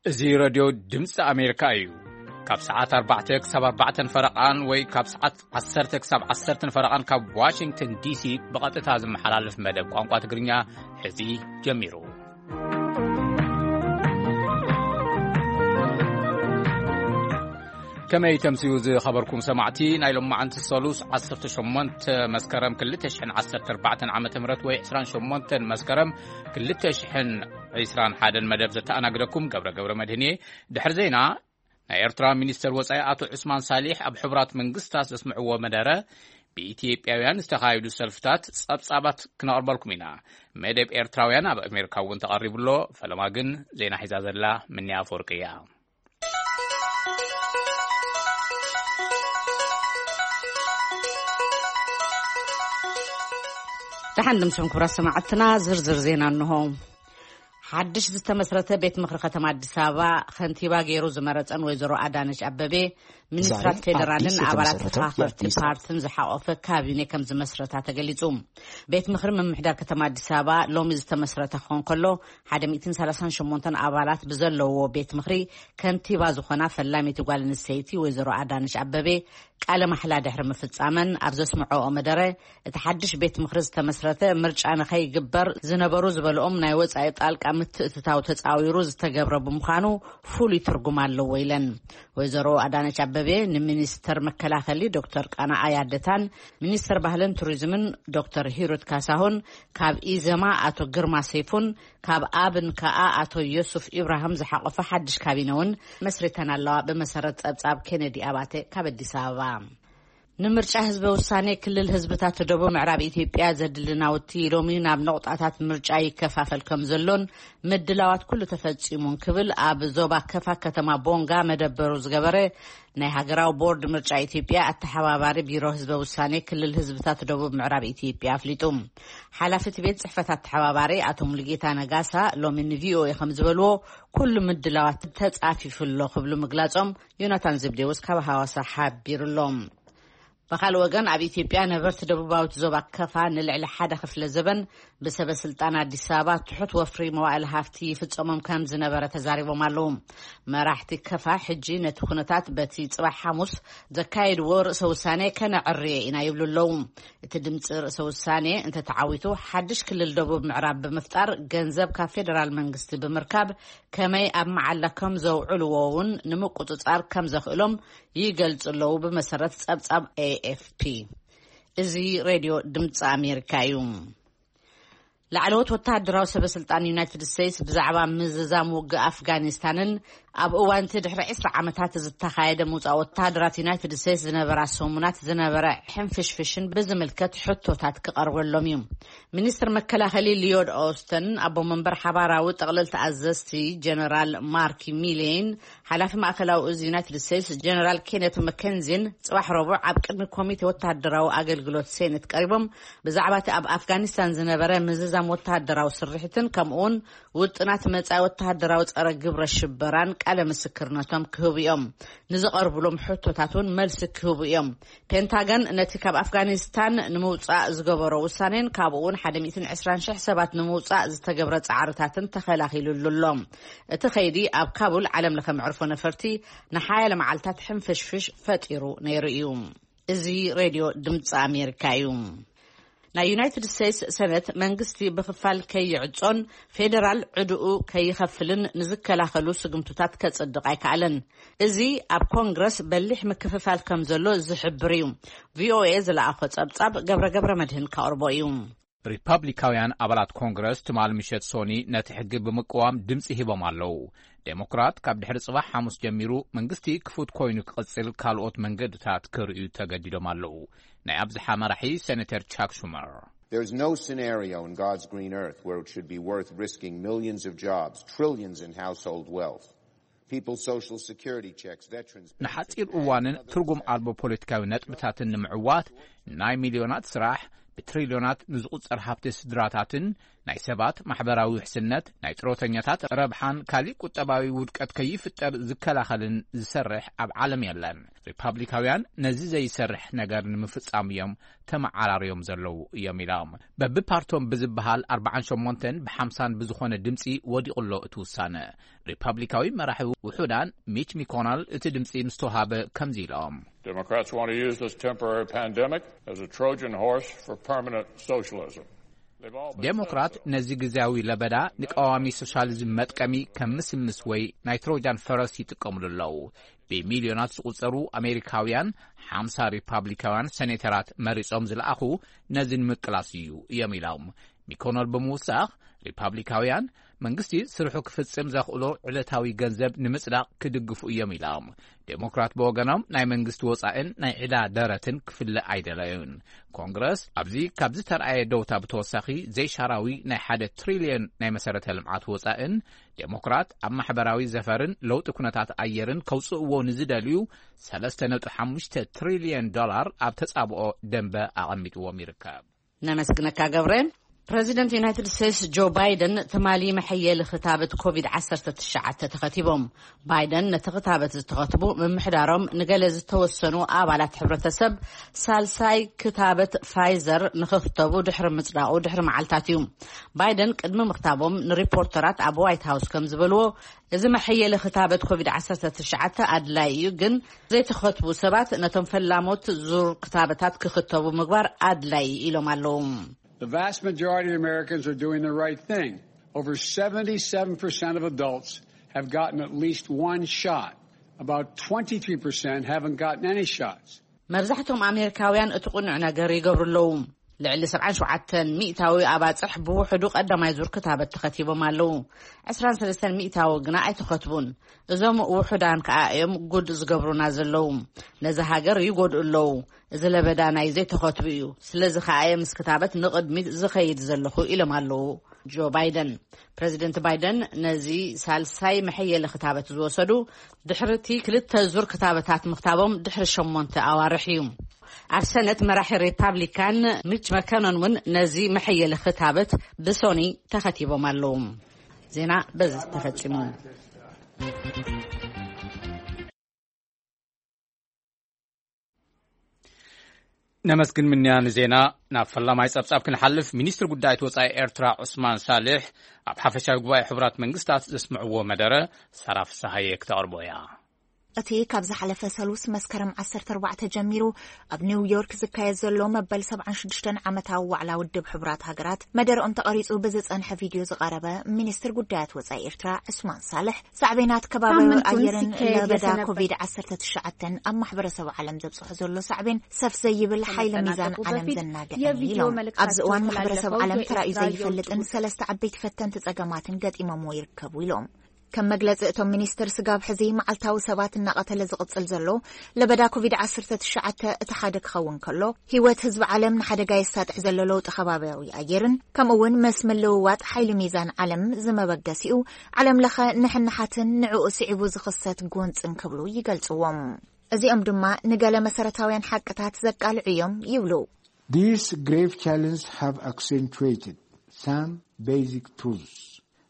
እዚ ረድዮ ድምፂ ኣሜሪካ እዩ። ካብ ሰዓት ኣርባዕተ ክሳብ ኣርባዕተን ፈረቓን ወይ ካብ ሰዓት ዓሰርተ ክሳብ ዓሰርተን ፈረቓን ካብ ዋሽንግተን ዲሲ ብቐጥታ ዝመሓላለፍ መደብ ቋንቋ ትግርኛ ሕዚ ጀሚሩ። ከመይ ተምስዩ ዝኸበርኩም ሰማዕቲ፣ ናይ ሎማዓንቲ ሰሉስ ዓሰርተ ሸሞንተ መስከረም ክልተ ሽሕን ዓሰርተ ኣርባዕተን ዓመተ ምህረት ወይ ዕስራን ሸሞንተን መስከረም ክልተ ሽሕን ዕስራን ሓደን መደብ ዘተኣናግደኩም ገብረ ገብረ መድህን እየ። ድሕሪ ዜና፣ ናይ ኤርትራ ሚኒስተር ወጻኢ ኣቶ ዑስማን ሳሊሕ ኣብ ሕቡራት መንግስታት ዘስምዕዎ መደረ፣ ብኢትዮጵያውያን ዝተኻየዱ ሰልፍታት ጸብጻባት ክነቕርበልኩም ኢና። መደብ ኤርትራውያን ኣብ ኣሜሪካ እውን ተቐሪቡ ኣሎ። ፈለማ ግን ዜና ሒዛ ዘላ ምንያ ኣፈወርቂ እያ። ደሓን ድምስኹም ክቡራት ሰማዕትና፣ ዝርዝር ዜና እንሆ። ሓድሽ ዝተመስረተ ቤት ምኽሪ ከተማ ኣዲስ ኣበባ ከንቲባ ገይሩ ዝመረጸን ወይዘሮ ኣዳነች ኣበቤ፣ ሚኒስትራት ዛሬ ፌዴራልን ኣዲስ ኣባላት የተመሰረተው ተፋኸርቲ የአዲስ ፓርትን ዝሓቆፈ ካቢኔ ከም ዝመስረታ ተገሊጹ። ቤት ምኽሪ ምምሕዳር ከተማ ኣዲስ ኣበባ ሎሚ ዝተመስረተ ክኾን ከሎ፣ ሓደ ሚእትን ሰላሳን ሸሞንተን ኣባላት ብዘለዎ ቤት ምኽሪ ከንቲባ ዝኾና ፈላሚቲ ጓል ኣንስተይቲ ወይዘሮ ኣዳነች ኣበቤ ቃለ ማሕላ ድሕሪ ምፍጻመን ኣብ ዘስምዐኦ መደረ፣ እቲ ሓድሽ ቤት ምኽሪ ዝተመስረተ ምርጫ ንኸይግበር ዝነበሩ ዝበልኦም ናይ ወጻኢ ጣልቃ ምትእትታው ተጻዊሩ ዝተገብረ ብምዃኑ ፍሉይ ትርጉም ኣለዎ ኢለን። ወይዘሮ ኣዳነች ኣበቤ ንሚኒስተር መከላኸሊ ዶክተር ቃና ኣያደታን ሚኒስተር ባህልን ቱሪዝምን ዶክተር ሂሩት ካሳሁን፣ ካብ ኢዘማ ኣቶ ግርማ ሰይፉን ካብ ኣብን ከኣ ኣቶ ዮሱፍ ኢብራሂም ዝሓቆፈ ሓድሽ ካቢነ እውን መስሪተን ኣለዋ። ብመሰረት ጸብጻብ ኬነዲ ኣባተ ካብ ኣዲስ ኣበባ። ንምርጫ ህዝበ ውሳኔ ክልል ህዝብታት ደቡብ ምዕራብ ኢትዮጵያ ዘድሊ ናውቲ ሎሚ ናብ ነቑጣታት ምርጫ ይከፋፈል ከም ዘሎን ምድላዋት ኩሉ ተፈጺሙን ክብል ኣብ ዞባ ከፋ ከተማ ቦንጋ መደበሩ ዝገበረ ናይ ሃገራዊ ቦርድ ምርጫ ኢትዮጵያ ኣተሓባባሪ ቢሮ ህዝበ ውሳኔ ክልል ህዝብታት ደቡብ ምዕራብ ኢትዮጵያ ኣፍሊጡ። ሓላፊ እቲ ቤት ጽሕፈት ኣተሓባባሪ ኣቶ ሙሉጌታ ነጋሳ ሎሚ ንቪኦኤ ከም ዝበልዎ፣ ኩሉ ምድላዋት ተጻፊፉ ኣሎ ክብሉ ምግላጾም ዮናታን ዘብዴዎስ ካብ ሃዋሳ ሓቢሩ ኣሎ። ብኻልእ ወገን፣ ኣብ ኢትዮጵያ ነበርቲ ደቡባዊት ዞባ ከፋ ንልዕሊ ሓደ ክፍለ ዘበን ብሰበ ስልጣን ኣዲስ ኣበባ ትሑት ወፍሪ መዋዕለ ሃፍቲ ይፍጸሞም ከም ዝነበረ ተዛሪቦም ኣለዉ። መራሕቲ ከፋ ሕጂ ነቲ ኩነታት በቲ ጽባሕ ሓሙስ ዘካየድዎ ርእሰ ውሳኔ ከነዕርዮ ኢና ይብሉ ኣለዉ። እቲ ድምጺ ርእሰ ውሳኔ እንተተዓዊቱ፣ ሓድሽ ክልል ደቡብ ምዕራብ ብምፍጣር፣ ገንዘብ ካብ ፌደራል መንግስቲ ብምርካብ ከመይ ኣብ መዓላ ከም ዘውዕልዎ እውን ንምቁጽጻር ከም ዘኽእሎም ይገልጹ ኣለዉ፣ ብመሰረት ጸብጻብ ኤኤፍፒ። እዚ ሬድዮ ድምጺ ኣሜሪካ እዩ። ላዕለዎት ወተሃደራዊ ሰበ ስልጣን ዩናይትድ ስቴትስ ብዛዕባ ምዝዛም ውግእ ኣፍጋኒስታንን ኣብ እዋን እቲ ድሕሪ ዕስራ ዓመታት ዝተኻየደ ምውጻእ ወተሃደራት ዩናይትድ ስቴትስ ዝነበራ ሰሙናት ዝነበረ ሕንፍሽፍሽን ብዝምልከት ሕቶታት ክቐርበሎም እዩ። ሚኒስትር መከላኸሊ ሊዮድ ኦስተን፣ ኣቦ መንበር ሓባራዊ ጠቕለልቲ ኣዘዝቲ ጀነራል ማርክ ሚሌይን ሓላፊ ማእከላዊ እዝ ዩናይትድ ስቴትስ ጀነራል ኬነት መኬንዚን ጽባሕ ረቡዕ ኣብ ቅድሚ ኮሚቴ ወተሃደራዊ ኣገልግሎት ሴኔት ቀሪቦም፣ ብዛዕባ እቲ ኣብ ኣፍጋኒስታን ዝነበረ ምዝዛም ወተሃደራዊ ስርሒትን ከምኡውን ውጥናት መጻኢ ወተሃደራዊ ጸረ ግብረ ሽበራን ቃለ ምስክርነቶም ክህቡ እዮም። ንዝቐርብሎም ሕቶታት እውን መልሲ ክህቡ እዮም። ፔንታገን ነቲ ካብ ኣፍጋኒስታን ንምውጻእ ዝገበሮ ውሳኔን ካብኡ እውን ሓደ ሚእትን ዕስራን ሽሕ ሰባት ንምውጻእ ዝተገብረ ጻዕርታትን ተኸላኺሉሉ ኣሎ። እቲ ኸይዲ ኣብ ካቡል ዓለም ለኸ መዕርፎ ነፈርቲ ንሓያለ መዓልታት ሕንፍሽፍሽ ፈጢሩ ነይሩ እዩ። እዚ ሬድዮ ድምፂ ኣሜሪካ እዩ። ናይ ዩናይትድ ስቴትስ ሰነት መንግስቲ ብኽፋል ከይዕጾን ፌደራል ዕድኡ ከይኸፍልን ንዝከላኸሉ ስግምቱታት ከጽድቕ ኣይከኣለን። እዚ ኣብ ኮንግረስ በሊሕ ምክፍፋል ከም ዘሎ ዝሕብር እዩ። ቪኦኤ ዝለኣኾ ጸብጻብ ገብረ ገብረ መድህን ከቕርቦ እዩ። ሪፓብሊካውያን ኣባላት ኮንግረስ ትማል ምሸት ሶኒ ነቲ ሕጊ ብምቅዋም ድምፂ ሂቦም ኣለዉ። ዴሞክራት ካብ ድሕሪ ጽባሕ ሓሙስ ጀሚሩ መንግስቲ ክፉት ኮይኑ ክቕጽል ካልኦት መንገድታት ክርእዩ ተገዲዶም ኣለዉ። ናይ ኣብዝሓ መራሒ ሴኔተር ቻክ ሹመር። There's no scenario in God's green earth where it should be worth risking millions of jobs, trillions in household wealth, people's social security checks, veterans benefits, ንሓጺር እዋንን ትርጉም ኣልቦ ፖለቲካዊ ነጥብታትን ንምዕዋት ናይ ሚልዮናት ስራሕ፣ ብትሪልዮናት ንዝቑጸር ሃብቲ ስድራታትን ናይ ሰባት ማሕበራዊ ውሕስነት፣ ናይ ጥሮተኛታት ረብሓን ካሊእ ቁጠባዊ ውድቀት ከይፍጠር ዝከላኸልን ዝሰርሕ ኣብ ዓለም የለን። ሪፓብሊካውያን ነዚ ዘይሰርሕ ነገር ንምፍጻም እዮም ተመዓራርዮም ዘለዉ እዮም ኢሎም። በብፓርቶም ብዝበሃል ኣርባዓን ሸሞንተን ብሓምሳን ብዝኾነ ድምጺ ወዲቑ ኣሎ እቲ ውሳነ። ሪፓብሊካዊ መራሒ ውሑዳን ሚች ሚኮናል እቲ ድምጺ ምስ ተዋሃበ ከምዚ ኢሎም። Democrats want to use this temporary pandemic as a Trojan horse for permanent socialism. They've all been ዴሞክራት ነዚ ግዜያዊ ለበዳ ንቀዋሚ ሶሻሊዝም መጥቀሚ ከም ምስምስ ወይ ናይ ትሮጃን ፈረስ ይጥቀምሉ ኣለዉ። ብሚልዮናት ዝቑጸሩ ኣሜሪካውያን ሓምሳ ሪፓብሊካውያን ሴኔተራት መሪጾም ዝለኣኹ ነዚ ንምቅላስ እዩ እዮም ኢሎም። ሚኮነል ብምውሳኽ፣ ሪፓብሊካውያን መንግስቲ ስርሑ ክፍጽም ዘኽእሎ ዕለታዊ ገንዘብ ንምጽዳቕ ክድግፉ እዮም ኢሎም። ዴሞክራት ብወገኖም ናይ መንግስቲ ወጻእን ናይ ዕዳ ደረትን ክፍለ ኣይደለዩን። ኮንግረስ ኣብዚ ካብ ዝተርኣየ ደውታ ብተወሳኺ ዘይሻራዊ ናይ ሓደ ትሪልዮን ናይ መሰረተ ልምዓት ወጻእን ዴሞክራት ኣብ ማሕበራዊ ዘፈርን ለውጢ ኩነታት ኣየርን ከውጽእዎ ንዝደልዩ ሰለስተ ነጥቢ ሓሙሽተ ትሪልዮን ዶላር ኣብ ተጻብኦ ደንበ ኣቐሚጥዎም ይርከብ። ነመስግነካ ገብረ። ፕረዚደንት ዩናይትድ ስቴትስ ጆ ባይደን ትማሊ መሐየሊ ክታበት ኮቪድ ዓሰርተ ትሽዓተ ተኸቲቦም። ባይደን ነቲ ክታበት ዝተኸትቡ ምምሕዳሮም ንገለ ዝተወሰኑ ኣባላት ሕብረተሰብ ሳልሳይ ክታበት ፋይዘር ንኽኽተቡ ድሕሪ ምጽዳቑ ድሕሪ መዓልታት እዩ። ባይደን ቅድሚ ምኽታቦም ንሪፖርተራት ኣብ ዋይት ሃውስ ከም ዝበልዎ፣ እዚ መሐየሊ ክታበት ኮቪድ ዓሰርተ ትሽዓተ ኣድላይ እዩ፣ ግን ዘይተኸትቡ ሰባት ነቶም ፈላሞት ዙር ክታበታት ክኽተቡ ምግባር ኣድላይ ኢሎም ኣለዉ። The vast majority of Americans are doing the right thing. Over seventy-seven percent of adults have gotten at least one shot. About twenty-three percent haven't gotten any shots. መብዛሕቶም ኣሜሪካውያን እቲ ቅኑዕ ነገር ይገብሩ ኣለዉ። ልዕሊ ሰብዓን ሸውዓተን ሚእታዊ ኣባጽሕ ብውሕዱ ቀዳማይ ዙር ክታበት ተኸቲቦም ኣለዉ። ዕስራን ሰለስተን ሚእታዊ ግና ኣይተኸትቡን። እዞም ውሑዳን ከኣ እዮም ጉድ ዝገብሩና ዘለዉ። ነዚ ሃገር ይጎድኡ ኣለዉ። እዚ ለበዳ ናይ ዘይተኸትቡ እዩ። ስለዚ ከኣ እየ ምስ ክታበት ንቕድሚት ዝኸይድ ዘለኹ ኢሎም ኣለዉ ጆ ባይደን። ፕረዚደንት ባይደን ነዚ ሳልሳይ መሐየሊ ክታበት ዝወሰዱ ድሕሪ እቲ ክልተ ዙር ክታበታት ምኽታቦም ድሕሪ ሸሞንተ ኣዋርሕ እዩ። ኣብ ሰነት መራሒ ሪፓብሊካን ሚች መከኖን እውን ነዚ መሐየሊ ክታበት ብሶኒ ተኸቲቦም ኣለዉ። ዜና በዚ ተፈጺሙ። ነመስግን ምንያ ንዜና። ናብ ፈላማይ ጸብጻብ ክንሓልፍ፣ ሚኒስትሪ ጉዳያት ወጻኢ ኤርትራ ዑስማን ሳልሕ ኣብ ሓፈሻዊ ጉባኤ ሕቡራት መንግስታት ዘስምዕዎ መደረ ሳራ ፍስሃየ ክተቕርቦ እያ። እቲ ካብ ዝሓለፈ ሰሉስ መስከረም ዓሰርተ ኣርባዕተ ጀሚሩ ኣብ ኒውዮርክ ዝካየድ ዘሎ መበል ሰብዓን ሽዱሽተን ዓመታዊ ዋዕላ ውድብ ሕቡራት ሃገራት መደረኦም ተቐሪጹ ብዝጸንሐ ቪድዮ ዝቐረበ ሚኒስትር ጉዳያት ወጻኢ ኤርትራ ዑስማን ሳልሕ ሳዕቤናት ከባቢ ኣየርን ለበዳ ኮቪድ ዓሰርተ ትሽዓተ ኣብ ማሕበረሰብ ዓለም ዘብጽሖ ዘሎ ሳዕቤን ሰፍ ዘይብል ሓይሊ ሚዛን ዓለም ዘናግዕን ኢሎም። ኣብዚ እዋን ማሕበረሰብ ዓለም ተራእዩ ዘይፈልጥን ሰለስተ ዓበይቲ ፈተንቲ ጸገማትን ገጢሞምዎ ይርከቡ ኢሎም። ከም መግለጺ እቶም ሚኒስትር፣ ስጋብ ሕዚ መዓልታዊ ሰባት እናቐተለ ዝቕጽል ዘሎ ለበዳ ኮቪድ ዓሰርተ ትሽዓተ እቲ ሓደ ክኸውን ከሎ፣ ህይወት ህዝቢ ዓለም ንሓደጋ የሳጥሕ ዘሎ ለውጢ ከባብያዊ ኣየርን ከምኡ እውን ምስ ምልውዋጥ ሓይሊ ሚዛን ዓለም ዝመበገሲኡ ዓለም ለኸ ንሕንሓትን ንዕኡ ስዒቡ ዝኽሰት ጎንጽን ክብሉ ይገልጽዎም። እዚኦም ድማ ንገለ መሰረታውያን ሓቅታት ዘቃልዑ እዮም ይብሉ። These grave challenges have accentuated some basic truths.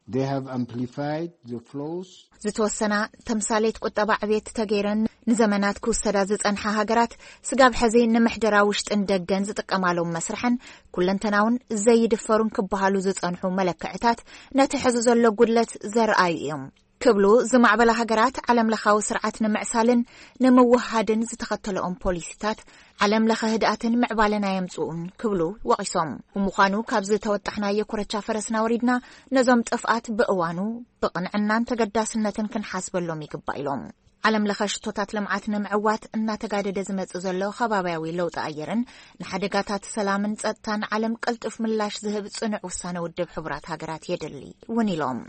They have amplified the flaws. ዝተወሰና ተምሳሌት ቁጠባ ዕብየት ተገይረን ንዘመናት ክውሰዳ ዝጸንሓ ሃገራት ስጋብ ሕዚ ንምሕደራ ውሽጥን ደገን ዝጥቀማሎም መስርሕን ኩለንተናውን ዘይድፈሩን ክበሃሉ ዝጸንሑ መለክዕታት ነቲ ሕዚ ዘሎ ጉድለት ዘርኣዩ እዮም ክብሉ፣ ዝማዕበላ ሃገራት ዓለም ለኻዊ ስርዓት ንምዕሳልን ንምውሃድን ዝተኸተለኦም ፖሊሲታት ዓለም ለኸ ህድኣትን ምዕባለን ኣየምጽኡን ክብሉ ወቒሶም። ብምዃኑ ካብዚ ተወጣሕናዮ ኮረቻ ፈረስና ወሪድና ነዞም ጥፍኣት ብእዋኑ ብቕንዕናን ተገዳስነትን ክንሓስበሎም ይግባእ ኢሎም። ዓለም ለኸ ሽቶታት ልምዓት ንምዕዋት እናተጋደደ ዝመጽእ ዘሎ ከባብያዊ ለውጢ ኣየርን ንሓደጋታት ሰላምን ጸጥታን ዓለም ቅልጡፍ ምላሽ ዝህብ ጽኑዕ ውሳነ ውድብ ሕቡራት ሃገራት የድሊ እውን ኢሎም።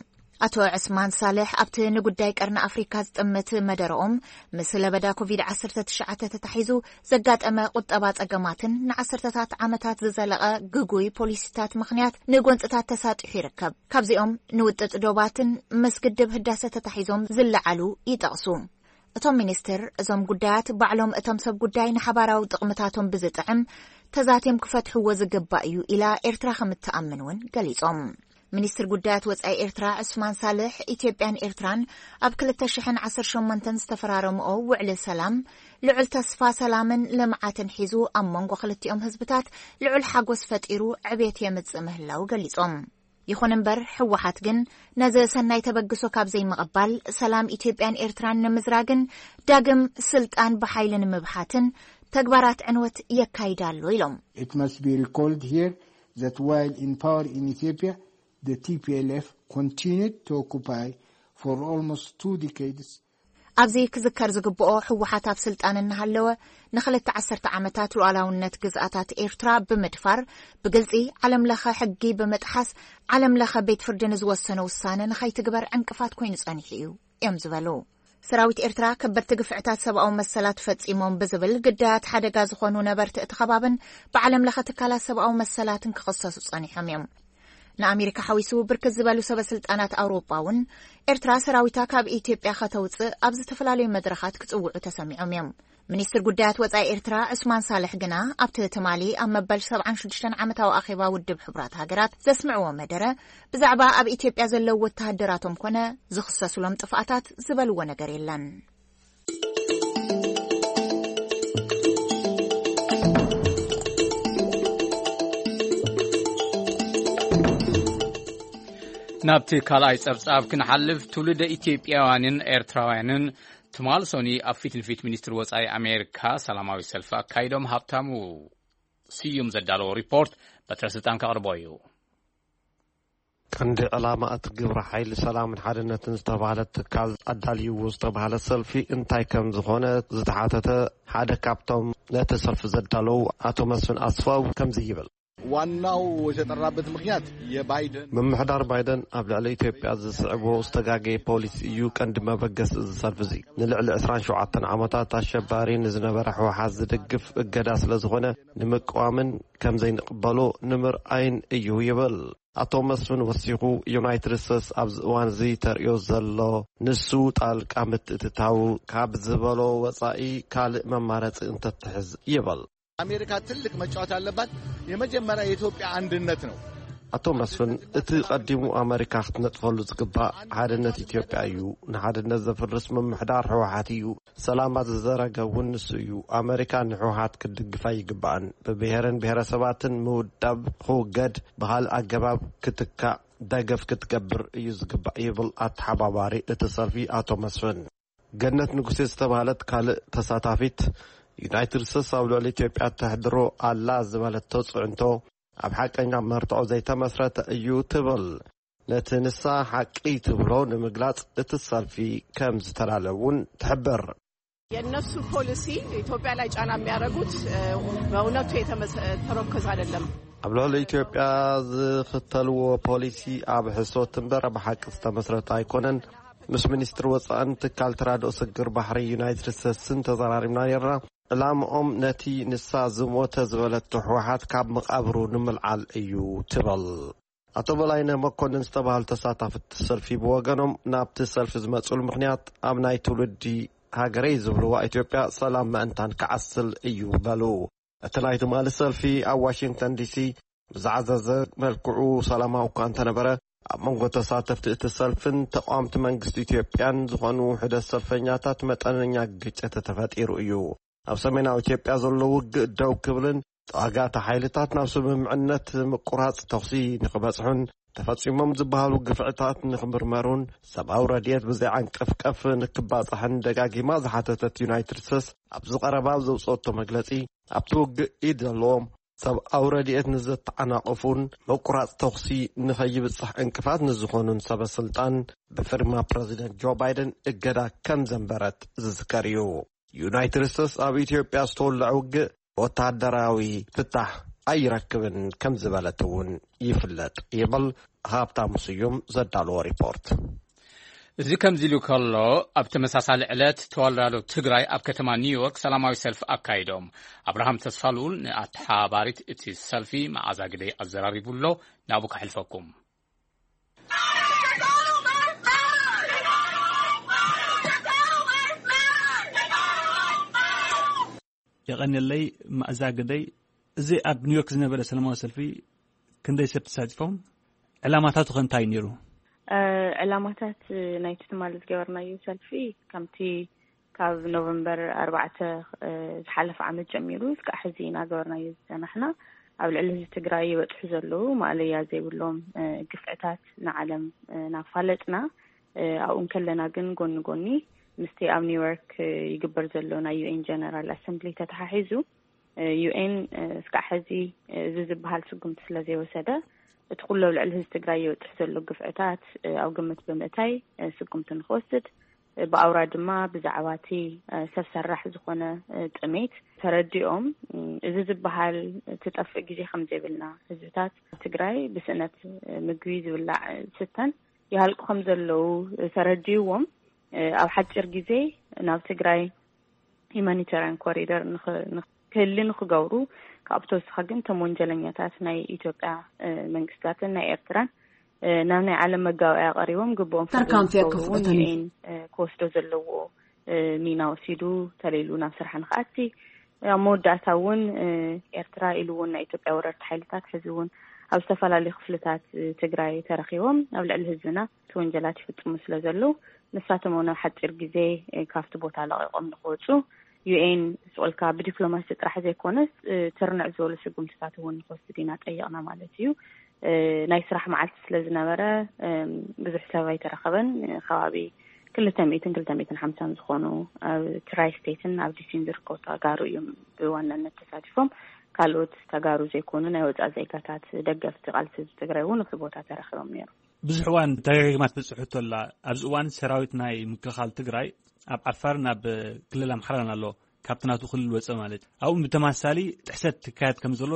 ኣቶ ዕስማን ሳልሕ ኣብቲ ንጉዳይ ቀርኒ ኣፍሪካ ዝጥምት መደረኦም፣ ምስ ለበዳ ኮቪድ ዓሰርተ ትሽዓተ ተታሒዙ ዘጋጠመ ቁጠባ ጸገማትን ንዓሰርተታት ዓመታት ዝዘለቐ ግጉይ ፖሊሲታት ምኽንያት ንጎንጽታት ተሳጢሑ ይርከብ። ካብዚኦም ንውጥጥ ዶባትን ምስ ግድብ ህዳሰ ተታሒዞም ዝለዓሉ ይጠቕሱ። እቶም ሚኒስትር፣ እዞም ጉዳያት ባዕሎም እቶም ሰብ ጉዳይ ንሓባራዊ ጥቕምታቶም ብዝጥዕም ተዛትዮም ክፈትሕዎ ዝግባእ እዩ ኢላ ኤርትራ ከም እትኣምን እውን ገሊጾም። ሚኒስትር ጉዳያት ወጻኢ ኤርትራ ዑስማን ሳልሕ፣ ኢትዮጵያን ኤርትራን ኣብ ክልተ ሽሕን ዓሰርተ ሸሞንተን ዝተፈራረምኦ ውዕሊ ሰላም፣ ልዑል ተስፋ ሰላምን ልምዓትን ሒዙ፣ ኣብ መንጎ ክልቲኦም ህዝብታት ልዑል ሓጎስ ፈጢሩ ዕቤት የምጽእ ምህላው ገሊጾም። ይኹን እምበር፣ ህወሓት ግን ነዚ ሰናይ ተበግሶ ካብ ዘይምቕባል፣ ሰላም ኢትዮጵያን ኤርትራን ንምዝራግን ዳግም ስልጣን ብሓይሊ ንምብሓትን ተግባራት ዕንወት የካይድ ኣሎ ኢሎም። It must be recalled here that while in power in Ethiopia, the T P L F continued to occupy for almost two decades ኣብዚ ክዝከር ዝግብኦ፣ ህወሓት ኣብ ስልጣን እናሃለወ ንኽልተ ዓሰርተ ዓመታት ሉዓላውነት ግዝኣታት ኤርትራ ብምድፋር፣ ብግልጺ ዓለም ለኸ ሕጊ ብምጥሓስ፣ ዓለም ለኸ ቤት ፍርዲ ንዝወሰኖ ውሳነ ንኸይትግበር ዕንቅፋት ኮይኑ ጸኒሑ እዩ እዮም ዝበሉ። ሰራዊት ኤርትራ ከበድቲ ግፍዕታት ሰብኣዊ መሰላት ፈጺሞም ብዝብል ግዳያት ሓደጋ ዝኾኑ ነበርቲ እቲ ከባብን ብዓለም ለኸ ትካላት ሰብኣዊ መሰላትን ክኽሰሱ ጸኒሖም እዮም። ንኣሜሪካ ሓዊሱ ብርክት ዝበሉ ሰበ ስልጣናት ኣውሮጳ እውን ኤርትራ ሰራዊታ ካብ ኢትዮጵያ ከተውፅእ ኣብ ዝተፈላለዩ መድረኻት ክጽውዑ ተሰሚዖም እዮም። ሚኒስትር ጉዳያት ወጻኢ ኤርትራ ዑስማን ሳልሕ ግና ኣብቲ ትማሊ ኣብ መበል ሰብዓን ሽዱሽተን ዓመታዊ ኣኼባ ውድብ ሕቡራት ሃገራት ዘስምዕዎ መደረ ብዛዕባ ኣብ ኢትዮጵያ ዘለዉ ወተሃደራቶም ኮነ ዝኽሰሱሎም ጥፍኣታት ዝበልዎ ነገር የለን። ናብቲ ካልኣይ ጸብጻብ ክንሓልፍ፣ ትውልደ ኢትዮጵያውያንን ኤርትራውያንን ትማል ሶኒ ኣብ ፊት ንፊት ሚኒስትሪ ወጻኢ ኣሜሪካ ሰላማዊ ሰልፊ ኣካይዶም። ሃብታሙ ስዩም ዘዳለዎ ሪፖርት በትረ ስልጣን ከቕርቦ እዩ። ቀንዲ ዕላማ እቲ ግብረ ሓይሊ ሰላምን ሓድነትን ዝተባህለ ትካል ኣዳልይዎ ዝተባህለ ሰልፊ እንታይ ከም ዝኾነ ዝተሓተተ ሓደ ካብቶም ነቲ ሰልፊ ዘዳለዉ ኣቶ መስፍን ኣስፋው ከምዚ ይብል። ዋናው የተጠራበት ምክንያት የባይደን ምምሕዳር ባይደን ኣብ ልዕሊ ኢትዮጵያ ዝስዕቦ ዝተጋገየ ፖሊሲ እዩ ቀንዲ መበገሲ እዚ ሰልፊ እዚ። ንልዕሊ ዕስራን ሸውዓተን ዓመታት ኣሸባሪ ንዝነበረ ህወሓት ዝድግፍ እገዳ ስለ ዝኾነ ንምቅዋምን ከም ዘይንቅበሎ ንምርኣይን እዩ ይብል። ኣቶ መስፍን ወሲኹ፣ ዩናይትድ ስቴትስ ኣብዚ እዋን እዚ ተርእዮ ዘሎ ንሱ ጣልቃ ምትእትታው ካብ ዝበሎ ወጻኢ ካልእ መማረጺ እንተትሕዝ ይብል። ኣሜሪካ ትልቅ መጫወት ያለባት የመጀመሪያ የኢትዮጵያ አንድነት ነው። ኣቶ መስፍን፣ እቲ ቀዲሙ ኣመሪካ ክትነጥፈሉ ዝግባእ ሓድነት ኢትዮጵያ እዩ። ንሓድነት ዘፍርስ ምምሕዳር ህወሓት እዩ። ሰላማ ዝዘረገ እውን ንሱ እዩ። ኣመሪካ ንህወሓት ክትድግፍ ኣይግባእን። ብብሄርን ብሄረሰባትን ምውዳብ ክውገድ፣ ብኻልእ ኣገባብ ክትካእ ደገፍ ክትገብር እዩ ዝግባእ ይብል ኣተሓባባሪ እቲ ሰልፊ ኣቶ መስፍን። ገነት ንጉሴ ዝተባህለት ካልእ ተሳታፊት፣ ዩናይትድ ስቴትስ ኣብ ልዕሊ ኢትዮጵያ ተሕድሮ ኣላ ዝበለቶ ጽዕንቶ ኣብ ሓቀኛ መርትዖ ዘይተመስረተ እዩ ትብል። ነቲ ንሳ ሓቂ ትብሎ ንምግላጽ እቲ ሰልፊ ከም ዝተዳለ እውን ትሕብር። የእነሱ ፖሊሲ ኢትዮጵያ ላይ ጫና የሚያደርጉት በእውነቱ የተመሰ- ተመረኮዘ አይደለም። ኣብ ልዕሊ ኢትዮጵያ ዝኽተልዎ ፖሊሲ ኣብ ሕሶት እምበር ኣብ ሓቂ ዝተመስረተ ኣይኮነን። ምስ ሚኒስትሪ ወጻእን ትካል ተራድኦ ስግር ባሕሪ ዩናይትድ ስቴትስን ተዘራሪብና ነይርና። ዕላምኦም ነቲ ንሳ ዝሞተ ዝበለቶ ህወሓት ካብ መቓብሩ ንምልዓል እዩ ትብል። ኣቶ በላይነህ መኮንን ዝተባህሉ ተሳታፍቲ ሰልፊ ብወገኖም ናብቲ ሰልፊ ዝመፅሉ ምኽንያት ኣብ ናይ ትውልዲ ሃገረይ ዝብልዋ ኢትዮጵያ ሰላም ምእንታን ክዓስል እዩ በሉ። እቲ ናይ ትማሊ ሰልፊ ኣብ ዋሽንግተን ዲሲ ብዝዓዘዘ መልክዑ ሰላማዊ እኳ እንተነበረ ኣብ መንጎ ተሳተፍቲ እቲ ሰልፍን ተቃወምቲ መንግስቲ ኢትዮጵያን ዝኾኑ ውሕደት ሰልፈኛታት መጠነኛ ግጭት ተፈጢሩ እዩ። ኣብ ሰሜናዊ ኢትዮጵያ ዘሎ ውግእ ደው ክብልን ተዋጋእቲ ሓይልታት ናብ ስምምዕነት ምቁራጽ ተኹሲ ንኽበጽሑን ተፈጺሞም ዝበሃሉ ግፍዕታት ንኽምርመሩን ሰብኣዊ ረድኤት ብዘይዓንቀፍቀፍ ንክባጻሕን ደጋጊማ ዝሓተተት ዩናይትድ ስቴትስ ኣብዚ ቀረባ ኣብ ዘውፅኦቶ መግለጺ ኣብቲ ውግእ ኢድ ዘለዎም ሰብኣዊ ረድኤት ንዘተዓናቕፉን ምቁራጽ ተኹሲ ንኸይብጻሕ ዕንቅፋት ንዝኾኑን ሰበ ስልጣን ብፍርማ ፕረዚደንት ጆ ባይደን እገዳ ከም ዘንበረት ዝዝከር እዩ። ዩናይትድ ስቴትስ ኣብ ኢትዮጵያ ዝተወልዐ ውግእ ወታደራዊ ፍታሕ ኣይረክብን ከም ዝበለት እውን ይፍለጥ ይብል ሃብታሙ ስዩም ዘዳለዎ ሪፖርት። እዚ ከምዚ ኢሉ ከሎ፣ ኣብ ተመሳሳሊ ዕለት ተወላዶ ትግራይ ኣብ ከተማ ኒውዮርክ ሰላማዊ ሰልፊ ኣካይዶም። ኣብርሃም ተስፋልኡል ንኣተሓባባሪት እቲ ሰልፊ መዓዛ ግደይ ኣዘራሪቡ ኣሎ። ናብኡ ከሕልፈኩም። የቐንየለይ። መኣዛ ግደይ፣ እዚ ኣብ ኒውዮርክ ዝነበረ ሰላማዊ ሰልፊ ክንደይ ሰብ ተሳቲፎም? ዕላማታቱ ከ እንታይ ነይሩ? እ፣ ዕላማታት ናይቲ ትማሊ ዝገበርናዮ ሰልፊ፣ ከምቲ ካብ ኖቨምበር ኣርባዕተ፣ እ፣ ዝሓለፈ ዓመት ጀሚሩ እስካዕ ሕዚ እናገበርናዮ ዝጸናሕና፣ ኣብ ልዕሊ ህዝቢ ትግራይ ይበጽሑ ዘለዉ ማእለያ ዘይብሎም፣ እ፣ ግፍዕታት ንዓለም፣ እ፣ እናፋለጥና፣ እ፣ ኣብኡ እንከለና ግን ጎኒ ጎኒ ምስቲ ኣብ ኒውዮርክ፣ እ፣ ይግበር ዘሎ ናይ ዩ ኤን ጀነራል ኣሰምብሊ ተተሓሒዙ፣ ዩ ኤን እስካዕ ሕዚ እዚ ዝበሃል ስጉምቲ ስለ ዘይወሰደ፣ እቲ ኩሉ ኣብ ልዕሊ ህዝቢ ትግራይ ይበፅሕ ዘሎ ግፍዕታት ኣብ ግምት ብምእታይ ስጉምቲ ንክወስድ፣ ብኣውራ ድማ ብዛዕባ እቲ ሰብ ሰራሕ ዝኾነ ጥሜት ተረዲኦም፣ እዚ ዝበሃል ትጠፍእ ግዜ ከም ዘይብልና፣ ህዝብታት ትግራይ ብስእነት ምግቢ፣ ዝብላዕ ዝስተን ይሃልቁ ከም ዘለዉ ተረዲእዎም፣ ኣብ ሓፂር ግዜ ናብ ትግራይ ሂማኒታርያን ኮሪደር ንኽ- ንኽ- ክህሊ ንክገብሩ፣ ካብኡ ተወሳኺ ግን እቶም ወንጀለኛታት ናይ ኢትዮጵያ መንግስታትን ናይ ኤርትራን ናብ ናይ ዓለም መጋበእያ ቀሪቦም ግብኦም ፍርዲ Tarkaan fiyat ንክገብሩ እውን ዩ ኤን ክወስዶ ዘለዎ ሚና ወሲዱ ተለይሉ ናብ ስራሕ ንክኣቲ፣ ኣብ መወዳእታ እውን ኤርትራ ኢሉ እውን ናይ ኢትዮጵያ ወረርቲ ሓይልታት ሕዚ እውን ኣብ ዝተፈላለዩ ክፍልታት ትግራይ ተረኪቦም ኣብ ልዕሊ ህዝብና እቲ ወንጀላት ይፍፅሙ ስለ ዘለዉ፣ ንሳቶም እውን ኣብ ሓፂር ግዜ ካብቲ ቦታ ለቒቖም ንክወፁ፣ ዩ ኤን ስቁልካ ብዲፕሎማሲ ጥራሕ ዘይኮነስ፣ ትርንዕ ዝበሉ ስጉምትታት እውን ንክወስድ ኢና ጠይቕና ማለት እዩ። ናይ ስራሕ መዓልቲ ስለ ዝነበረ፣ ብዙሕ ሰብ ኣይተረኸበን። ከባቢ ክልተ ሚእትን ክልተ ሚእትን ሓምሳን ዝኾኑ ኣብ ትራይ ስቴትን ኣብ ዲሲን ዝርከቡ ተጋሩ እዮም ብዋናነት ተሳቲፎም። ካልኦት ተጋሩ ዘይኮኑ ናይ ወፃኢ ዜጋታት፣ ደገፍቲ ቃልሲ ህዝቢ ትግራይ እውን ኣብቲ ቦታ ተረኺቦም ነይሩ። ብዙሕ እዋን ደጋጊማ ትበፅሑ ተላ፣ ኣብዚ እዋን ሰራዊት ናይ ምክልኻል ትግራይ ኣብ ዓፋር ናብ ክልል ኣምሓራን ኣሎ፣ ካብቲ ናቱ ክልል ወፀ ማለት። ኣብኡ ብተማሳሊ ጥሕሰት ትካየድ ከም ዘሎ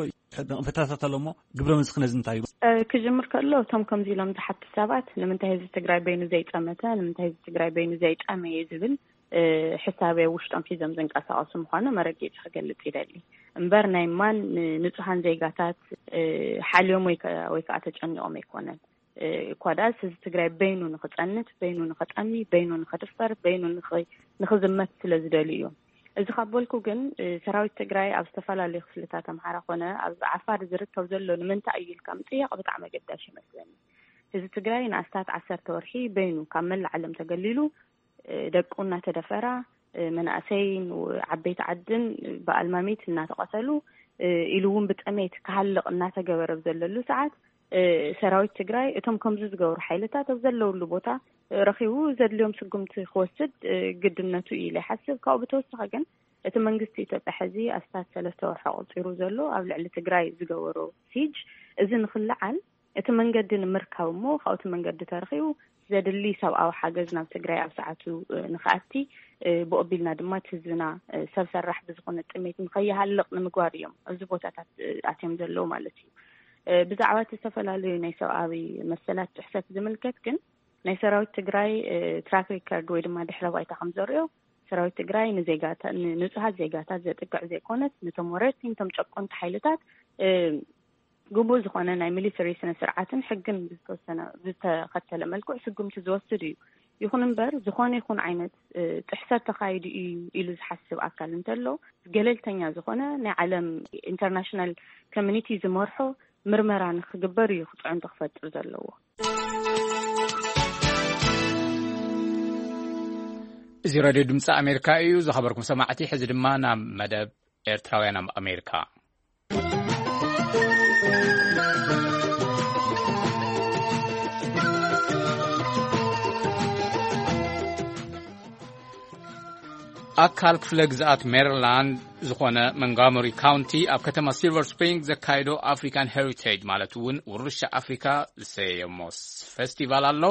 ነቕፈታታት ኣሎ እሞ፣ ግብረ መልስኺ ነዚ እንታይ እዩ? ክጅምር ከሎ፣ እቶም ከምዚ ኢሎም ዝሓቱ ሰባት፣ ንምንታይ ህዝቢ ትግራይ በይኑ ዘይጠመተ፣ ንምንታይ ህዝቢ ትግራይ በይኑ ዘይጠመየ ዝብል ሕሳብ ውሽጦም ሒዞም ዝንቀሳቐሱ ምዃኑ መረጊፂ ክገልፅ ይደሊ። እምበር ናይ ማን ንፁሃን ዜጋታት ሓልዮም ወይ ከ- ወይ ከዓ ተጨኒቖም ኣይኮነን። እኳ ደኣስ ህዝቢ ትግራይ በይኑ ንክፀንት፣ በይኑ ንክጠሚ፣ በይኑ ንክድፈር፣ በይኑ ንክ- ንክዝመት ስለ ዝደልዩ እዮም። እዚ ካብ በልኩ ግን፣ ሰራዊት ትግራይ ኣብ ዝተፈላለዩ ክፍልታት ኣምሓራ ኮነ ኣብ ዓፋር ዝርከብ ዘሎ ንምንታይ እዩ ኢልካ ምጥያቕ ብጣዕሚ ኣገዳሲ ይመስለኒ። ህዝቢ ትግራይ ንኣስታት ዓሰርተ ወርሒ በይኑ ካብ መላእ ዓለም ተገሊሉ፣ ደቁ እናተደፈራ፣ መናእሰይን ዓበይቲ ዓድን ብኣልማሚት እናተቐተሉ፣ ኢሉ እውን ብጥሜት ክሃልቕ እናተገበረ ኣብ ዘለሉ ሰዓት፣ ሰራዊት ትግራይ እቶም ከምዚ ዝገብሩ ሓይልታት ኣብ ዘለውሉ ቦታ ረኺቡ ዘድልዮም ስጉምቲ ክወስድ ግድነቱ እዩ ኢለ ይሓስብ። ካብኡ ብተወሳኺ ግን እቲ መንግስቲ ኢትዮጵያ ሕዚ ኣስታት ሰለስተ ወርሒ ኣቑፂሩ ዘሎ ኣብ ልዕሊ ትግራይ ዝገበሮ ሲጅ፣ እዚ ንክልዓል እቲ መንገዲ ንምርካብ እሞ ካብቲ መንገዲ ተረኺቡ ዘድሊ ሰብኣዊ ሓገዝ ናብ ትግራይ ኣብ ሰዓቱ ንክኣቲ፣ ብኦቢልና ድማ እቲ ህዝብና ሰብ ሰራሕ ብዝኾነ ጥሜት ንከይሃልቕ ንምግባር እዮም ኣብዚ ቦታታት ኣትዮም ዘለዉ ማለት እዩ። ብዛዕባ እቲ ዝተፈላለዩ ናይ ሰብኣዊ መሰላት ጥሕሰት ዝምልከት ግን ናይ ሰራዊት ትግራይ ትራክ ሪከርድ ወይ ድማ ድሕረ ባይታ ከም ዘርእዮ፣ ሰራዊት ትግራይ ንዜጋታ- ንንጹሃት ዜጋታት ዘጥቅዕ ዘይኮነስ፣ ነቶም ወረርቲ፣ ነቶም ጨቆንቲ ሓይልታት ግቡእ ዝኾነ ናይ ሚሊተሪ ስነ ስርዓትን ሕግን ብዝተወሰነ- ብዝተኸተለ መልክዑ ስጉምቲ ዝወስድ እዩ። ይኹን እምበር፣ ዝኾነ ይኹን ዓይነት ጥሕሰት ተኻይዱ እዩ ኢሉ ዝሓስብ ኣካል እንተሎ፣ ገለልተኛ ዝኾነ ናይ ዓለም ኢንተርናሽናል ኮሚኒቲ ዝመርሖ ምርመራ ንክግበር እዩ ክፅዕንቶ ክፈጥር ዘለዎ። እዚ ሬድዮ ድምፂ ኣሜሪካ እዩ። ዝኸበርኩም ሰማዕቲ፣ ሕዚ ድማ ናብ መደብ ኤርትራውያን ኣብ ኣሜሪካ። ኣካል ክፍለ ግዝኣት ሜሪላንድ ዝኾነ መንጋሞሪ ካውንቲ ኣብ ከተማ ሲልቨር ስፕሪንግ ዘካየዶ ኣፍሪካን ሄሪቴጅ ማለት እውን ውርሻ ኣፍሪካ ዝሰየሞ ፌስቲቫል ኣሎ።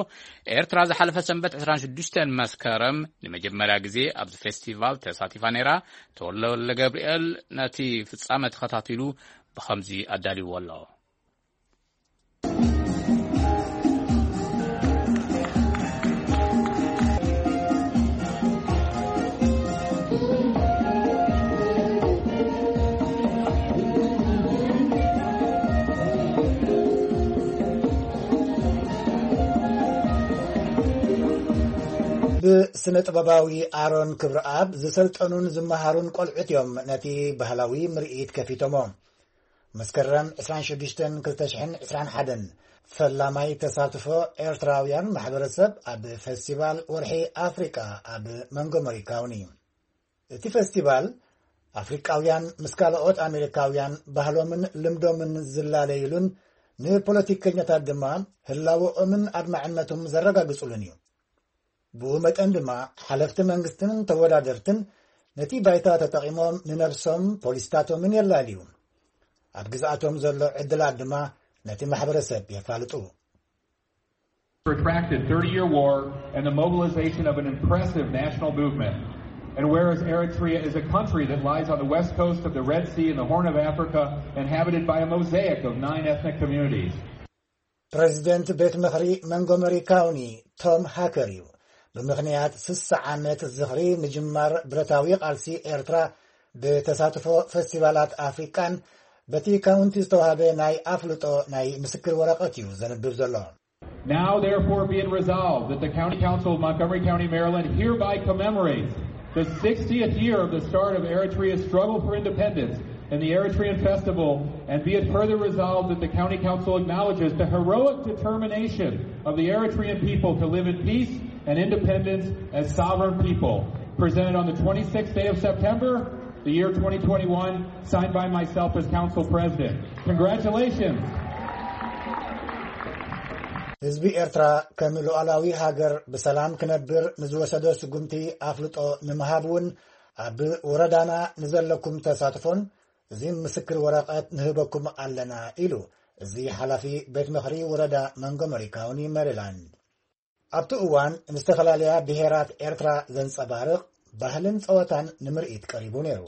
ኤርትራ ዝሓለፈ ሰንበት ዕስራን ሽዱሽተን መስከረም ንመጀመርያ ግዜ ኣብዚ ፌስቲቫል ተሳቲፋ ነይራ። ተወልደ ገብርኤል ነቲ ፍጻመ ተኸታቲሉ ብኸምዚ ኣዳልይዎ ኣሎ። ስነ ጥበባዊ ኣሮን ክብረኣብ ዝሰልጠኑን ዝመሃሩን ቆልዑት እዮም ነቲ ባህላዊ ምርኢት ከፊቶሞ። መስከረም ዕስራን ሽዱሽተን ክልተ ሽሕን ዕስራን ሓደን ፈላማይ ተሳትፎ ኤርትራውያን ማሕበረሰብ ኣብ ፈስቲቫል ወርሒ ኣፍሪቃ ኣብ መንጎመሪ ካውኒ። እቲ ፈስቲቫል ኣፍሪቃውያን ምስ ካልኦት ኣሜሪካውያን ባህሎምን ልምዶምን ዝላለይሉን ንፖለቲከኛታት ድማ ህላወኦምን ኣድማዕነቶም ዘረጋግጹሉን እዩ። ብኡ መጠን ድማ ሓለፍቲ መንግስትን ተወዳደርትን ነቲ ባይታ ተጠቒሞም ንነብሶም ፖሊስታቶምን የላልዩ። ኣብ ግዝኣቶም ዘሎ ዕድላት ድማ ነቲ ማሕበረሰብ የፋልጡ። Protracted thirty-year war and the mobilization of an impressive national movement. And whereas Eritrea is a country that lies on the west coast of the Red Sea in the Horn of Africa, inhabited by a mosaic of nine ethnic communities. ፕሬዚደንት ቤት ምኽሪ መንጎመሪ ካውኒ ቶም ሃከር እዩ። ብምኽንያት ስሳ ዓመት ዝኽሪ ምጅማር ብረታዊ ቃልሲ ኤርትራ ብተሳትፎ ፈስቲቫላት ኣፍሪቃን በቲ ካውንቲ ዝተዋህበ ናይ ኣፍልጦ ናይ ምስክር ወረቐት እዩ ዘንብብ ዘሎ። Now, therefore, be it resolved that the County Council of Montgomery County, Maryland hereby commemorates the sixtieth year of the start of Eritrea's struggle for independence in the Eritrean Festival, and be it further resolved that the County Council acknowledges the heroic determination of the Eritrean people to live in peace and independence as sovereign people. Presented on the twenty-sixth day of September, the year twenty twenty-one, signed by myself as Council President. Congratulations! ህዝቢ ኤርትራ ከም ሉዓላዊ ሃገር ብሰላም ክነብር ንዝወሰዶ ስጉምቲ ኣፍልጦ ንምሃብ እውን ኣብ ወረዳና ንዘለኩም ተሳትፎን እዚ ምስክር ወረቐት ንህበኩም ኣለና ኢሉ እዚ ሓላፊ ቤት ምኽሪ ወረዳ መንጎመሪ ካውኒ መሪላንድ። ኣብቲ እዋን ንዝተፈላለያ ብሄራት ኤርትራ ዘንጸባርቕ ባህልን ጸወታን ንምርኢት ቀሪቡ ነይሩ።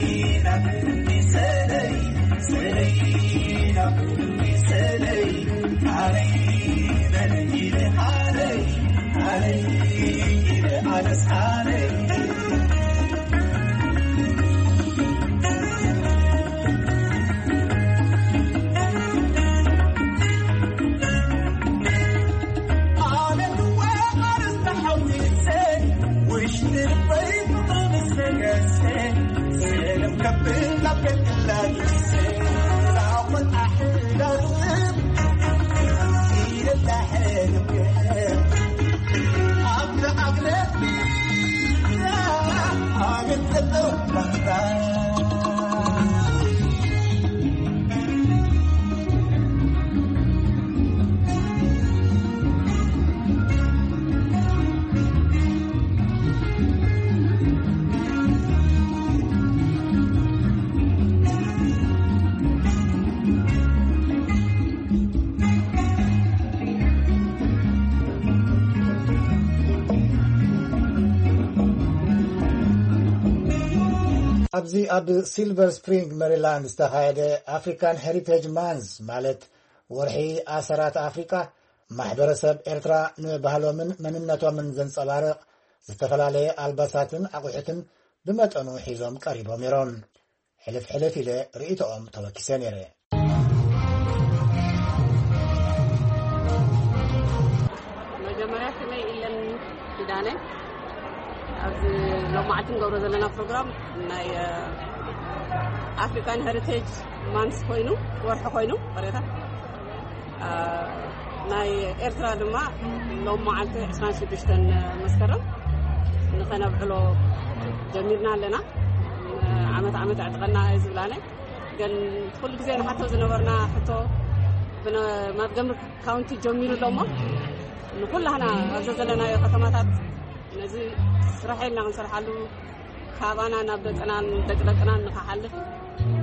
ኣብዚ ኣብ ሲልቨር ስፕሪንግ ሜሪላንድ ዝተኻየደ ኣፍሪካን ሄሪቴጅ ማንስ ማለት ወርሒ ኣሰራት ኣፍሪካ ማሕበረሰብ ኤርትራ ንባህሎምን መንነቶምን ዘንጸባርቕ ዝተፈላለየ ኣልባሳትን ኣቑሑትን ብመጠኑ ሒዞም ቀሪቦም ነይሮም። ሕልፍ ሕልፍ ኢለ ርእይቶኦም ተወኪሰ ነይረ። መጀመርያ ስመይ ኢለን ኪዳነ። ኣብዚ ሎማዓልቲ ንገብሮ ዘለና ፕሮግራም ናይ ኣፍሪካን ሄሪቴጅ ማንስ ኮይኑ፣ ወርሒ ኮይኑ፣ ቅሬታ ናይ ኤርትራ ድማ ሎም መዓልቲ ዕስራን ሽዱሽተን መስከረም ንኸነብዕሎ ጀሚርና ኣለና። ዓመት ዓመት ኣዕጥቀና እዩ ዝብላነ። ግን ኩሉ ግዜ ንሓቶ ዝነበርና ሕቶ ብነ-፣ ማንትጎመሪ ካውንቲ ጀሚሩ ኣሎ እሞ ንኩላህና ኣብዚ ዘለናዮ ከተማታት ነዚ ስራሕ ኢልና ክንሰርሓሉ ካባና ናብ ደቅናን ደቂ ደቅናን ንክሓልፍ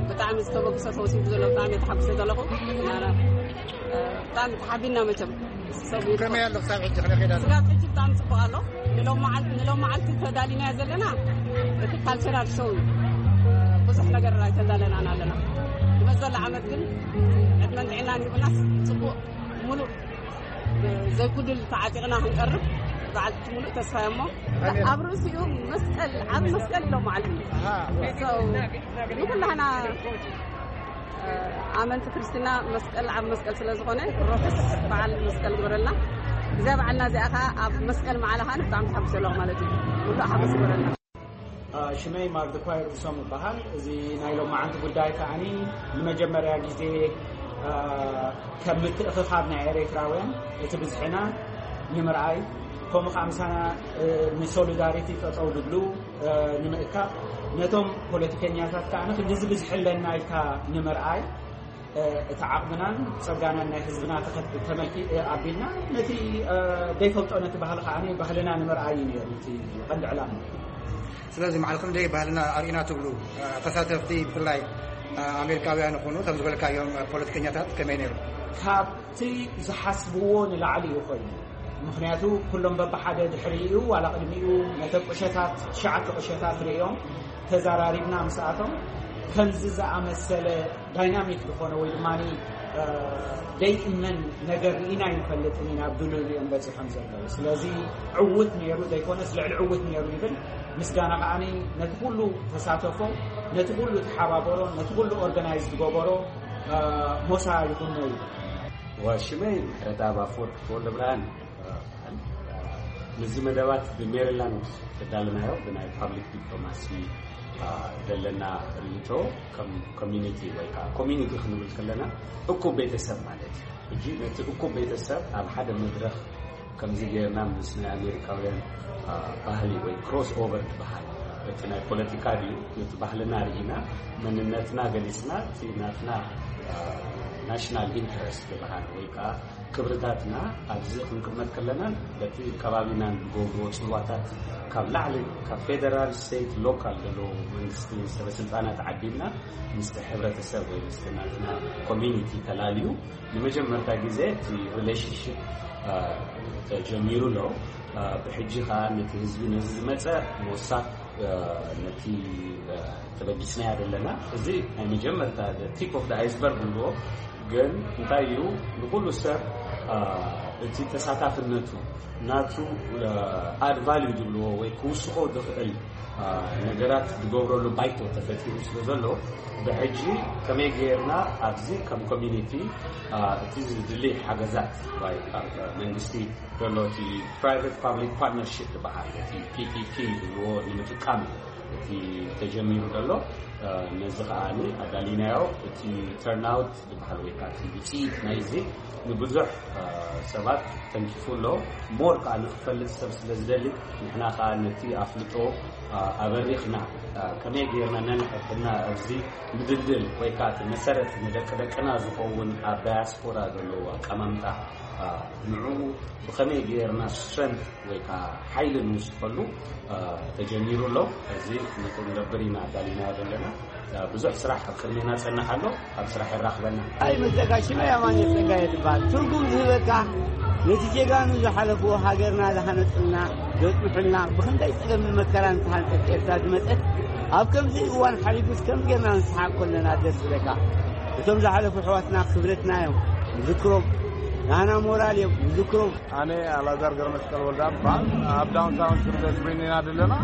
ብጣዕሚ ዝተበግሰ ተወሲዱ ዘሎ ብጣዕሚ ተሓጉሰ ዘለኹ። ብጣዕሚ ተሓቢና መቸም። ከመይ ኣሎ ክሳብ ሕጂ ክነኸዳ? ስጋብ ሕጂ ብጣዕሚ ፅቡቅ ኣሎ። ንሎም መዓል-፣ ንሎም መዓልቲ ተዳሊናዮ ዘለና እቲ ካልቸራል ሾው እዩ። ብዙሕ ነገር ኣይተዳለናን ኣለና። ንመዘሎ ዓመት ግን ዕድመን ጥዕናን ሂቡናስ ፅቡቅ ሙሉእ ዘይጉድል ተዓጢቕና ክንቀርብ በዓል ሙሉእ ተስፋ እሞ ኣብ ርእሲኡ መስቀል ዓብ መስቀል ኢሎም መዓልቲ ንኩላህና ኣመንቲ ክርስትና መስቀል ዓብ መስቀል ስለ ዝኾነ ሮክስ በዓል መስቀል ግበረልና። እዛ በዓልና እዚኣ ከዓ ኣብ መስቀል መዓላ ከዓ ብጣዕሚ ተሓጉሰ ኣለኹ ማለት እዩ። ሙሉእ ሓጎስ ይበረና። ሽመይ ማርድኳይ ርሶም ይበሃል። እዚ ናይ ሎማዓንቲ ጉዳይ ከዓኒ ንመጀመርያ ግዜ ከም ምትእኽኻብ ናይ ኤርትራውያን እቲ ብዝሕና ንምርኣይ፣ ከምኡ ከዓ ምሳና ንሶሊዳሪቲ ጠጠው ዝብሉ ንምእካብ፣ ነቶም ፖለቲከኛታት ከዓ ክንድዚ ብዝሒ ኣለና ኢልካ ንምርኣይ፣ እቲ ዓቕምናን ጸጋናን ናይ ህዝብና ተመልኪ ኣቢልና ነቲ ዘይፈልጦ ነቲ ባህሊ ከዓ ባህልና ንምርኣይ እዩ ነይሩ እቲ ቀንዲ ዕላማ። ስለዚ ማዕልኩም ደይ ባህልና ኣርእና ትብሉ ተሳተፍቲ፣ ብፍላይ ኣሜሪካውያን ይኹኑ እቶም ዝበልካዮም ፖለቲከኛታት ከመይ ነይሩ? ካብቲ ዝሓስብዎ ንላዕሊ እዩ ኮይኑ። ምክንያቱ ኩሎም በብሓደ ድሕሪኡ ዋላ ቅድሚኡ ነተ ቁሸታት ትሽዓተ ቁሸታት ርእዮም ተዘራሪብና ምስኣቶም ከምዚ ዝኣመሰለ ዳይናሚክ ዝኾነ ወይ ድማ ደይእመን ነገር ርኢና ይንፈልጥን ኢና ኣብ ድልድል እዮም በፂሖም ዘለዉ። ስለዚ ዕውት ነይሩ ዘይኮነስ ልዕሊ ዕውት ነይሩ ይብል። ምስጋና ከዓ ነቲ ኩሉ ተሳተፎ፣ ነቲ ኩሉ ተሓባበሮ፣ ነቲ ኩሉ ኦርጋናይዝ ዝገበሮ ሞሳ ይኹኖ እዩ። ሽመይ ምሕረተኣብ ኣፈወርቂ ተወልደ ብርሃን። ምዚ መደባት ብሜሪላንድ ተዳለናዮ ብናይ ፓብሊክ ዲፕሎማሲ ዘለና ርእይቶ፣ ከም ኮሚኒቲ ወይ ከዓ ኮሚኒቲ ክንብል ከለና እኩብ ቤተሰብ ማለት እዩ። ሕጂ ነቲ እኩብ ቤተሰብ ኣብ ሓደ መድረኽ ከምዚ ጌርና ምስ ናይ ኣሜሪካውያን ባህሊ ወይ ክሮስ ኦቨር ትበሃል፣ እቲ ናይ ፖለቲካ ድዩ፣ ነቲ ባህልና ርኢና መንነትና ገሊፅና፣ እቲ ናትና ናሽናል ኢንትረስት ዝበሃል ወይ ከዓ ክብርታትና ኣብዚ ክንቅመጥ ከለና በቲ ከባቢና ንገብርዎ ፅልዋታት ካብ ላዕሊ ካብ ፌደራል፣ ስቴት፣ ሎካል ዘለዎ መንግስቲ ሰበስልጣናት ዓዲምና ምስቲ ሕብረተሰብ ወይ ምስቲ ናትና ኮሚኒቲ ተላልዩ ንመጀመርታ ግዜ እቲ ሪሌሽንሽፕ ተጀሚሩ ኣሎ። ብሕጂ ከዓ ነቲ ህዝቢ ነዚ ዝመፀ ሞሳ ነቲ ተበጊስናዮ ዘለና። እዚ ናይ መጀመርታ ቲፕ ኦፍ ኣይስበርግ ንብሎ ግን እንታይ እዩ ንኩሉ ሰብ እቲ ተሳታፍነቱ ናቱ ኣድ ቫልዩ ዝብልዎ ወይ ክውስኮ ዝኽእል ነገራት ዝገብረሉ ባይቶ ተፈጢሩ ስለ ዘሎ ብሕጂ ከመይ ገይርና ኣብዚ ከም ኮሚኒቲ እቲ ዝድሊ ሓገዛት ካብ መንግስቲ ዘሎ እቲ ፕራይቨት ፓብሊክ ፓርትነርሽፕ ዝበሃል እቲ ፒፒፒ ዝብልዎ ንምጥቃም እቲ ተጀሚሩ ዘሎ ነዚ ከዓ ኣዳሊናዮ። እቲ ተርናውት ዝበሃል ወይ ከዓ እቲ ውፅኢት ናይዚ ንብዙሕ ሰባት ተንኪፉ ኣሎ። ሞር ከዓ ንክፈልጥ ሰብ ስለ ዝደሊ ንሕና ከዓ ነቲ ኣፍልጦ ኣበሪኽና ከመይ ገይርና ነንሕድሕድና ኣብዚ ምድልድል ወይ ከዓ እቲ መሰረት ንደቂ ደቅና ዝኸውን ኣብ ዳያስፖራ ዘለዎ ኣቀማምጣ ንዕኡ ብኸመይ ገይርና ስትረንት ወይ ከዓ ሓይሊ ንውስኸሉ ተጀሚሩ ኣሎ። እዚ ነቲ ንገብር ኢና ኣዳሊና ዘለና። ብዙሕ ስራሕ ኣብ ቅድሜና ፀንሕ ኣሎ። ኣብ ስራሕ ይራኽበና። ኣይ መጸጋ ሽመ ኣማኑኤል ጸጋየ ትበሃል። ትርጉም ዝህበካ ነቲ ጀጋኑ ዝሓለፍዎ ሃገርና ዝሃነጽልና ዘጽንሑልና ብኽንደይ ጸገምን መከራን ዝተሃንጸት ኤርትራ ዝመጸት ኣብ ከምዚ እዋን ሓሊፉስ ከም ጌርና ንስሓቅ ከለና ደስ ዝብለካ። እቶም ዝሓለፉ ኣሕዋትና ክብረትና እዮም። ንዝክሮም ናህና ሞራል እዮም። ንዝክሮም። ኣነ ኣላዛር ገረመስቀል ወልዳ እበሃል። ኣብ ዳውንታውን ሽርለ ስዊድን ኢና ዘለና።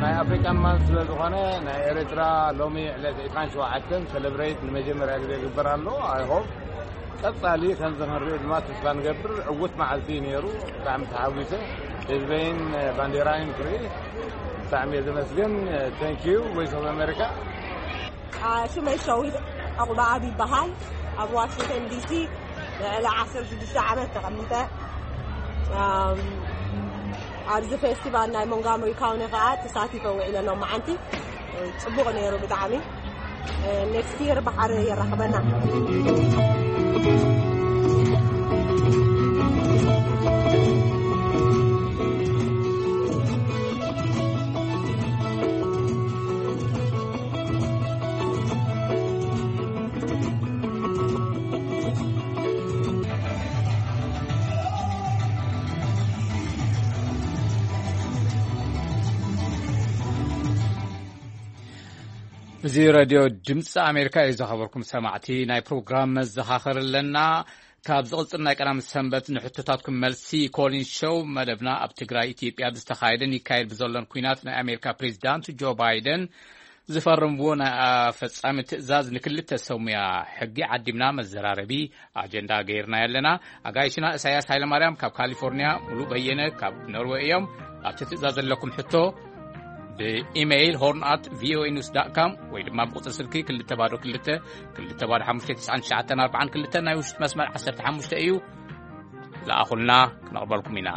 ናይ ኣፍሪካን ማን ስለ ዝኾነ ናይ ኤርትራ ሎሚ ዕለት ዕስራን ሸውዓተን ሰለብሬት ንመጀመርያ ግዜ ይግበር ኣሎ። ኣይ ሆፕ ቀጻሊ ከምዚ ክንሪኦ ድማ ተስፋ ንገብር። ዕውት መዓልቲ እዩ ነይሩ። ብጣዕሚ ተሓጒሰ። ህዝበይን ባንዴራይን ክርኢ ብጣዕሚ እየ ዘመስግን። ቴንክ ዩ ቮይስ ኦፍ ኣሜሪካ። ሽመይ ሸዊት ዕቑባኣብ ይበሃል። ኣብ ዋሽንግተን ዲሲ ልዕሊ ዓሰርተ ሽዱሽተ ዓመት ተቐሚጠ። ኣብዚ ፌስቲቫል ናይ ሞንጋመሪ ካውኒ ከዓ ተሳቲፈ ውዒለ ሎማዓንቲ። ፅቡቕ ነይሩ ብጣዕሚ። ኔክስት ይር ባሕሪ የራኽበና። እዚ ረድዮ ድምፂ ኣሜሪካ እዩ። ዝኸበርኩም ሰማዕቲ ናይ ፕሮግራም መዘኻኸሪ ኣለና። ካብ ዝቕፅል ናይ ቀዳም ሰንበት ንሕቶታትኩም መልሲ ኮሊን ሾው መደብና ኣብ ትግራይ ኢትዮጵያ ብዝተኻየደን ይካየድ ብዘሎን ኩናት ናይ ኣሜሪካ ፕሬዚዳንት ጆ ባይደን ዝፈረምዎ ናይ ኣፈጻሚ ትእዛዝ ንክልተ ሰብ ሙያ ሕጊ ዓዲምና መዘራረቢ ኣጀንዳ ገይርና ኣለና። ኣጋይሽና እሳያስ ሃይለማርያም ካብ ካሊፎርኒያ፣ ሙሉ በየነ ካብ ኖርወይ እዮም። ኣብቲ ትእዛዝ ዘለኩም ሕቶ ብኢሜይል ሆርን ኣት ቪኦኤ ኒውስ ዳት ካም ወይ ድማ ብቁጽሪ ስልኪ ክልተ ባዶ ክልተ፣ ክልተ ባዶ ሓሙሽተ፣ ትስዓን ትሽዓተን ኣርባዓን ክልተ ናይ ውሽጢ መስመር ዓሰርተ ሓሙሽተ እዩ። ለኣኹልና፣ ክነቕበልኩም ኢና።